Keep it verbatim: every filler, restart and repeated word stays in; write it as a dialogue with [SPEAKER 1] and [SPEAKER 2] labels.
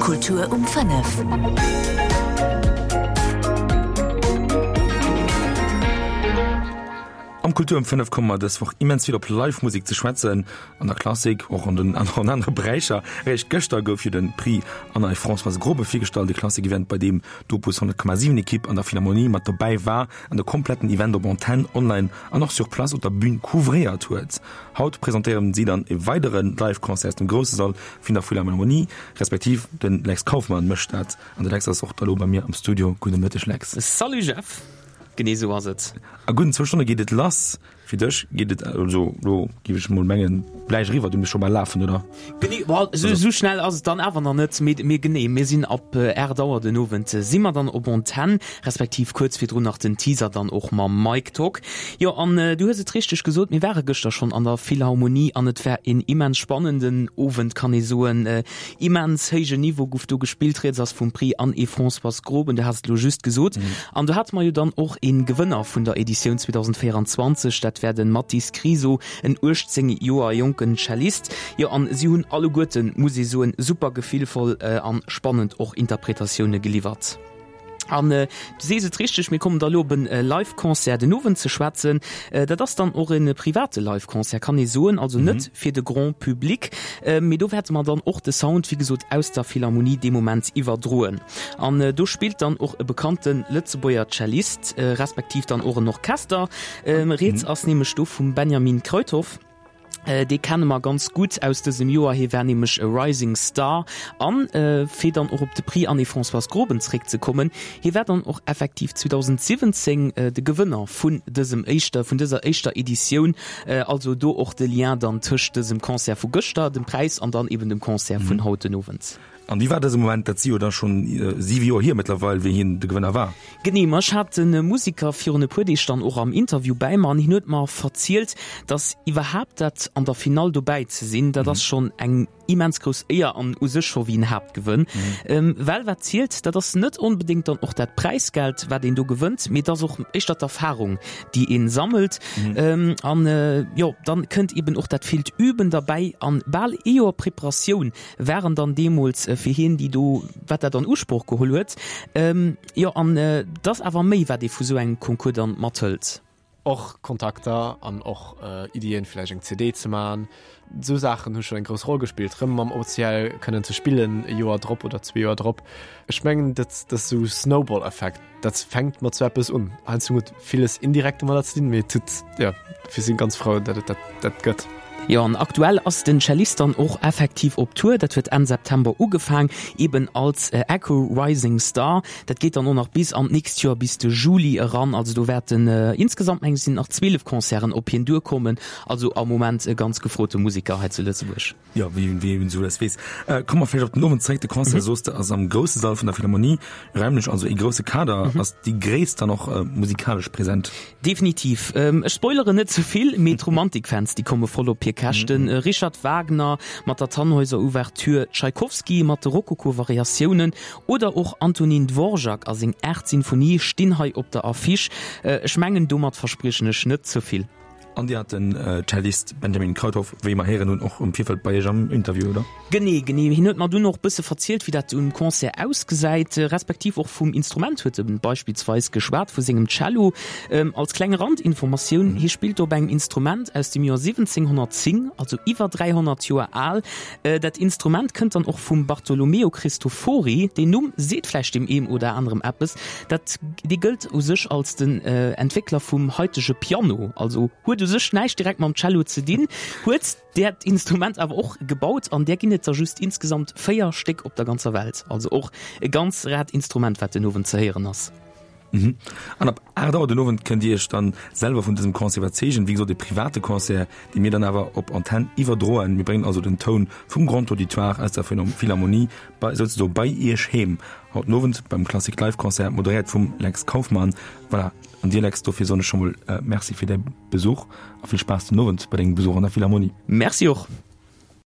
[SPEAKER 1] Kultur um fënnef.
[SPEAKER 2] Am Kultur um fënnef komme mer dës Woch immens vill op Live-Musek ze schwätzen, an der Klassik, och an den an anere Beräicher. Eréischt gëschter gouf jo de Prix Anna et Françoise Grobe virgestallt, e Klassik-Event, bei deem d'Opus honnert Komma siwen Ekipp an der Philharmonie mat dobäi war an de kompletten Event op Antenn, online an och sur place op der Bün couvréiert huet. Haut presentéieren si dann e weidere Live-Concert aus dem grousse Sall vun der Philharmonie, respektiv de Lex Kauffmann mécht dat. An de Lex ass och da lo bei mir am Studio. Gudde Mëtteg, Lex.
[SPEAKER 3] Salut Jeff, genee sou ass et.
[SPEAKER 2] A gudden zwou Stonne geet et lass. Fir dech geet et also lo, géif ech mol mengen, gläich eriwwer. Du muss scho bal lafen, oder?
[SPEAKER 3] Genee, bon, esou esou schnell ass et dann awer nach net, mee mee genee, mir sinn ab aacht Auer den Owend si mer dann op Antenn, respektiv kuerz virdrun nach den Teaser dann och mam Mike Tock. Jo, an du hues et richteg gesot, mir ware gëschter schonn an der Philharmonie an et war een immens spannenden Owend, kann ee soen. Immens héijen Niveau guff do gespillt, rieds ass vum Prix Anne et Françoise Groben, du has et elo just gesot. An do hate mer jo dann och ee Gewënner vun der Editioun zweedausendvéierundzwanzeg, dat war den Mathis Kriso, en uechtzéng Joer jonken Cellist. Jo, an si hunn alleguerten, muss ee soen, super gefillvoll an spannend och Interpretatioune geliwwert. An du sees et richteg, mir kommen da lo op en Live-Concert den Owend ze schwätzen. Dat ass dann och e private Live-Concert, kann ee soen, also net fir de Grand Public. Mee do wäerte mer dann och de Sound, wéi gesot, aus der Philharmonie dee Moment iwwerdroen. An do spillt dann och e bekannte Lëtzebuerger Cellist, respektiv dann och en Orchester. Rieds ass nämlech do vum Benjamin Kruithof. Dee kenne mer ganz gutt aus dësem Joer, hie war nämlech e Rising Star. An fir dann och op de Prix Anne-Françoise Groben zréckzekommen, hie war dann och effektiv zweedausendsiwwenzéng de Gewënner vun dësem éischter, vun dëser éischter Editioun. Also do och de Lien dann tëscht dësem Concert vu gëschter, dem Präis, an dann eben dem Concert vun haut den Owend.
[SPEAKER 2] An wéi war dëse Moment? Dat si jo da schonn siwe Joer hier mëttlerweil, wéi hien de Gewënner war.
[SPEAKER 3] Genee, ma ech hat de Musiker virun e puer Deeg dann och am Interview bäi mer an hien huet mer verzielt, datt iwwerhaapt dat an der Finall dobäi ze sinn, dat ass schonn eng immens grouss Éier an u sech scho wéi en Haaptgewënn. Well wat zielt, dat ass net onbedéngt dann och dat Präisgeld, wat een do gewënnt, mee et ass och éischter d'Erfarung, déi ee sammelt. An jo, dann kënnt eben och dat villt Üben derbäi an bal ee Joer Preparatioun waren dann deemools fir hien, déi do, wat dat an Usproch geholl huet. Jo, an et ass awer méi, wat ee vu sou engem Concours dann mathëlt.
[SPEAKER 4] Och Kontakter an och Iddien, vläicht eng C D ze man. Esou Saachen hu schonn eng grouss Roll gespillt, rëm mam O C L kënnen ze spillen e Joer drop oder zwee Joer drop. Ech mengen, dat dat ass esou Snowball-Effekt, dat fänkt mat sou eppes un. Heiansdo huet villes indirekt domadder ze dinn, mee et huet, jo, dofir si ganz frou, datt et dat dat gëtt.
[SPEAKER 3] Jo, an aktuell ass den Cellist dann och effektiv op Tour. Dat huet Enn September ugefaang, eben als Echo Rising Star. Dat geet dann och nach bis an d'nächst Joer, bis de Juli eran. Also do wäerten insgesamt, meng ech, sinn nach zwielef Concerten op hien duerkommen. Also am Moment e ganz gefrote Museker hei zu Lëtzebuerg.
[SPEAKER 2] Jo, wéi wéi een esou alles weess. Komme mer vläicht op den Owend zeréck. De Concert, soos de, ass am grousse Sall vun der Philharmonie, raimlech also ee grousse Kader. Ass déi Gréisst dann och musikalesch present?
[SPEAKER 3] Definitiv. Ech spoileren net ze vill, mee d'Romantikfans, déi komme voll op hir Käschten. Richard Wagner mat der Tannhäuser Ouverture, Tschaikowski mat de Rokoko-Variatiounen oder och Antonin Dvorak a seng aacht Sinfonie stinn hei op der Affiche. Ech mengen, domat verspriechen ech net ze vill.
[SPEAKER 2] An Dir hat den Cellist Benjamin Kruithof, wéi mer héieren hunn, och um Virfeld bei Iech am Interview, oder?
[SPEAKER 3] Genee, genee. Hien huet mer dunn och bësse verzielt, wéi dat um Concert ausgesäit, respektiv och vum Instrument huet e beispillsweis geschwat, vu sengem Cello. Als kleng Randinformatioun, hie spillt op engem Instrument aus dem Joer siwwenzénghonnertzéng, also iwwer dräihonnert Joer al. Dat Instrument kënnt dann och vum Bartolomeo Cristofori. Deen Numm seet vläicht deem eem oder anerem eppes. Dat, dee gëllt u sech als den Entwéckler vum haitege Piano, also huet u sech näischt direkt mam Cello ze dinn, huet dat Instrument awer och gebaut an där ginn et der just insgesamt véier Stéck op der ganzer Welt. Also och e ganz raart Instrument, wat den Owend ze héieren ass.
[SPEAKER 2] An ab aacht Auer den Owend kënnt Dir Iech dann selwer vun dësem Concert iwwerzeegen. Wéi gesot, e private Concert, dee mir dann awer op Antenn iwwerdroen. Mir bréngen also den Toun vum Grand Auditoire aus der Philharmonie bei, souzesoe bei Iech heem. Haut den Owend beim Klassik Live Concert, moderéiert vum Lex Kauffmann. Voilà, an dir Lex, dofir soen ech scho mol Merci fir däi Besuch a vill Spaass den Owend bei dengem Besuch an der Philharmonie.
[SPEAKER 3] Merci och.